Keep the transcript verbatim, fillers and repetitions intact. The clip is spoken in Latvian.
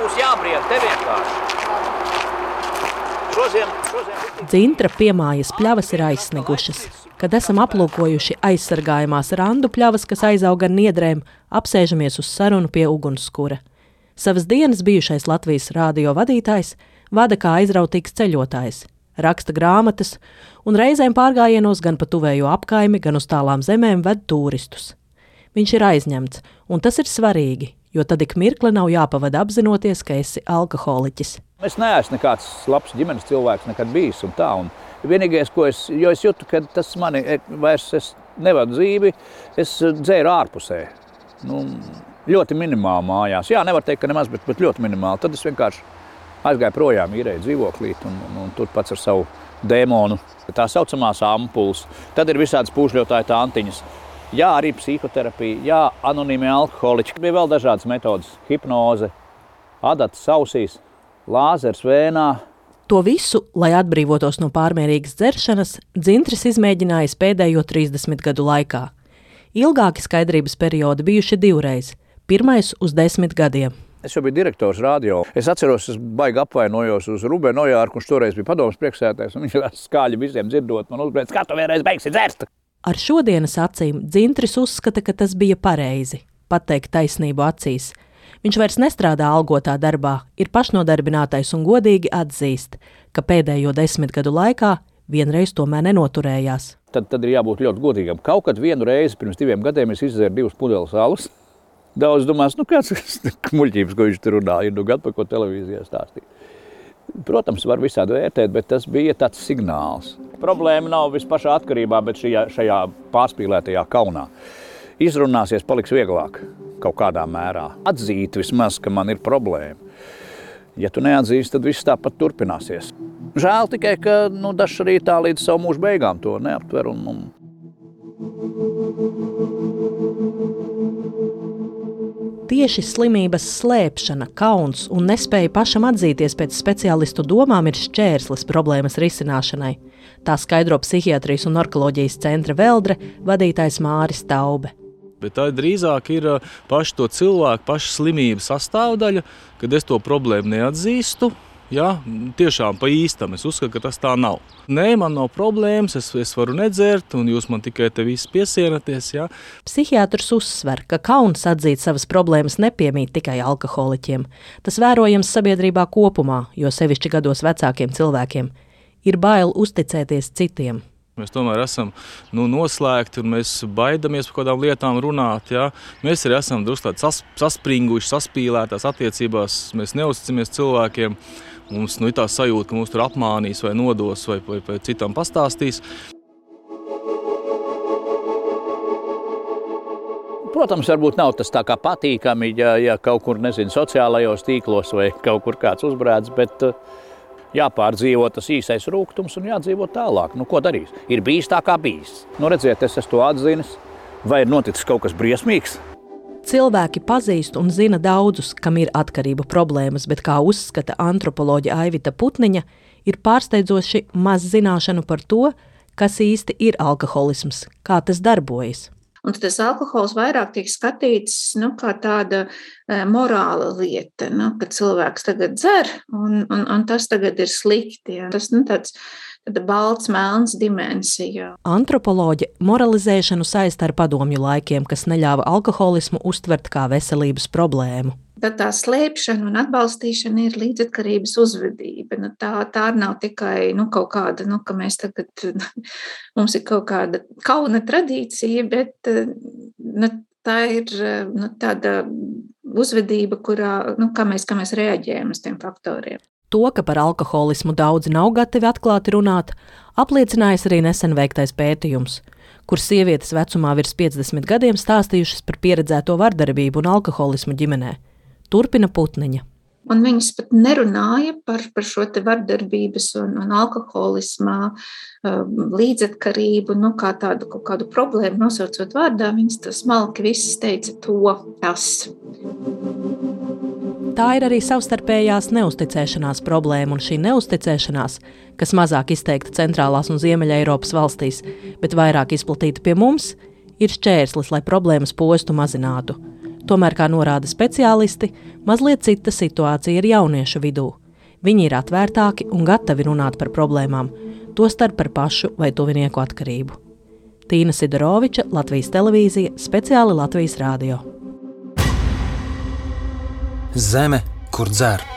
būs jābried te vienkārši. Šoziem, šoziem... Dzintra piemājas pļavas ir aizsnigušas. Kad esam aplūkojuši aizsargājumās randu pļavas, kas aizauga ar niedrēm, apsēžamies uz sarunu pie ugunskura. Savas dienas bijušais Latvijas rādio vadītājs vada kā aizrautīgs ceļotājs, raksta grāmatas un reizēm pārgājienos gan pa tuvējo apkaimi, gan uz tālām zemēm ved turistus. Viņš ir aizņemts, un tas ir svarīgi, jo tad ik mirkli nav jāpavada apzinoties, ka esi alkoholiķis. Es neesmu nekāds labs ģimenes cilvēks nekad bijis un tā. Un vienīgais, ko es, jo es jūtu, ka tas mani vairs es nevadu dzīvi, es dzēru ārpusē. Nu, ļoti minimāli mājās. Jā, nevar teikt, ka nemaz, bet, bet ļoti minimāli. Tad es vienkārši aizgāju projām, īrēju dzīvoklīt un, un, un tur pats ar savu dēmonu. Tā saucamās ampulas. Tad ir visādas pūšļotāju tāntiņas. Jā, arī psihoterapija, jā, anonīmie alkoholiķi. Bija vēl dažādas metodas. Hipnoze, adatas ausīs, lāzers vēnā. To visu, lai atbrīvotos no pārmērīgas dzeršanas, Dzintris izmēģinājis pēdējo trīsdesmit gadu laikā. Ilgāki skaidrības periodi bijuši divreiz. Pirmais uz desmit gadiem. Es jau biju direktors radio. Es atceros, es baigi apvainojos uz Rubenu Ojārku, kurš toreiz bija padomas priekšsēdētājs, un viņš skaļi visiem dzirdot man uzbrēc, kā tu vienreiz beigsi dzerst. Ar šodienas acīm Dzintris uzskata, ka tas bija pareizi, pateikt taisnību acīs. Viņš vairs nestrādā algotā darbā, ir pašnodarbinātais un godīgi atzīst, ka pēdējo desmit gadu laikā vienreiz tomēr nenoturējās. Tad, tad ir jābūt ļoti godīgam. Kaut kad vienu reizi pirms diviem gadiem es izdzēru divas pudeles alus. Daudz domās, nu kāds muļķības, ko viņš tur runā, ir nu gadu, par ko televīzijā stāstīja. Protams, var visādi vērtēt, bet tas bija tāds signāls. Problēma nav vispašā atkarībā, bet šajā, šajā pārspīlētajā kaunā. Izrunāsies paliks vieglāk kaut kādā mērā. Atzīt vismaz, ka man ir problēma. Ja tu neatzīsti, tad viss tāpat turpināsies. Žēl tikai, ka nu, dažs arī tā līdz savu mūžu beigām to neaptver. Un, un... Tieši slimības slēpšana, kauns un nespēja pašam atzīties pēc speciālistu domām ir šķērslis problēmas risināšanai. Tā skaidro psihiatrijas un narkoloģijas centra Veldre vadītājs Māris Taube. Bet tā drīzāk ir paši to cilvēku, paša slimības sastāvdaļa, kad es to problēmu neatzīstu. Jā, tiešām pa īstam. Es uzskatu, ka tas tā nav. Nē, man nav problēmas, es, es varu nedzert, un jūs man tikai te visi piesienaties. Jā. Psihiatrs uzsver, ka kauns atzīt savas problēmas nepiemīt tikai alkoholiķiem. Tas vērojams sabiedrībā kopumā, jo sevišķi gados vecākiem cilvēkiem ir bail uzticēties citiem. Mēs tomēr esam nu, noslēgti un mēs baidamies par kādām lietām runāt. Jā. Mēs arī esam drusku tādi sas, saspringuši, saspīlētās attiecībās. Mēs neusticamies cilvēkiem. Mums nu, ir tā sajūta, ka mūs tur apmānīs vai nodos vai, vai, vai citam pastāstīs. Protams, varbūt nav tas tā kā patīkami, ja, ja kaut kur, nezinu, sociālajos tīklos vai kaut kur kāds uzbrēdz, bet jāpārdzīvo tas īsais rūgtums un jādzīvo tālāk. Nu, ko darīs? Ir bijis tā, kā bijis. Nu, redziet, es esmu to atzinis. Vai ir noticis kaut kas briesmīgs? Cilvēki pazīst un zina daudzus, kam ir atkarību problēmas, bet, kā uzskata antropoloģe Aivita Putniņa, ir pārsteidzoši maz zināšanu par to, kas īsti ir alkoholisms, kā tas darbojas. Un tas alkohols vairāk tiek skatīts nu, kā tāda e, morāla lieta, nu, ka cilvēks tagad dzer, un, un, un tas tagad ir slikti. Ja. Tas nu, tāds tāda balts, melns dimensija. Antropoloģe moralizēšanu saista ar padomju laikiem, kas neļāva alkoholismu uztvert kā veselības problēmu. Tad tā slēpšana un atbalstīšana ir līdzatkarības uzvedība. Nu, tā, tā nav tikai nu, kaut kāda, nu, ka mēs tagad, mums ir kaut kāda kauna tradīcija, bet nu, tā ir nu, tāda uzvedība, kurā, nu, kā mēs, kā mēs reaģējam uz tiem faktoriem. To, ka par alkoholismu daudzi nav gatavi atklāti runāt, apliecinājis arī nesen veiktais pētījums, kur sievietes vecumā virs piecdesmit gadiem stāstījušas par pieredzēto vardarbību un alkoholismu ģimenē. Turpina Putniņa. Un viņas pat nerunāja par, par šo te vardarbības un, un alkoholismā līdzatkarību, nu kā tādu kaut kādu problēmu nosaucot vārdā, viņas tas smalki visas teica to, tas. Tā ir arī savstarpējās neusticēšanās problēma, un šī neusticēšanās, kas mazāk izteikta centrālās un Ziemeļa Eiropas valstīs, bet vairāk izplatīta pie mums, ir šķērslis, lai problēmas postu mazinātu. Tomēr, kā norāda speciālisti, mazliet cita situācija ir jauniešu vidū. Viņi ir atvērtāki un gatavi runāt par problēmām, tostarp par pašu vai tuvinieku atkarību. Tīna Sidoroviča, Latvijas televīzija, speciāli Latvijas rādio. Zeme, kur dzer.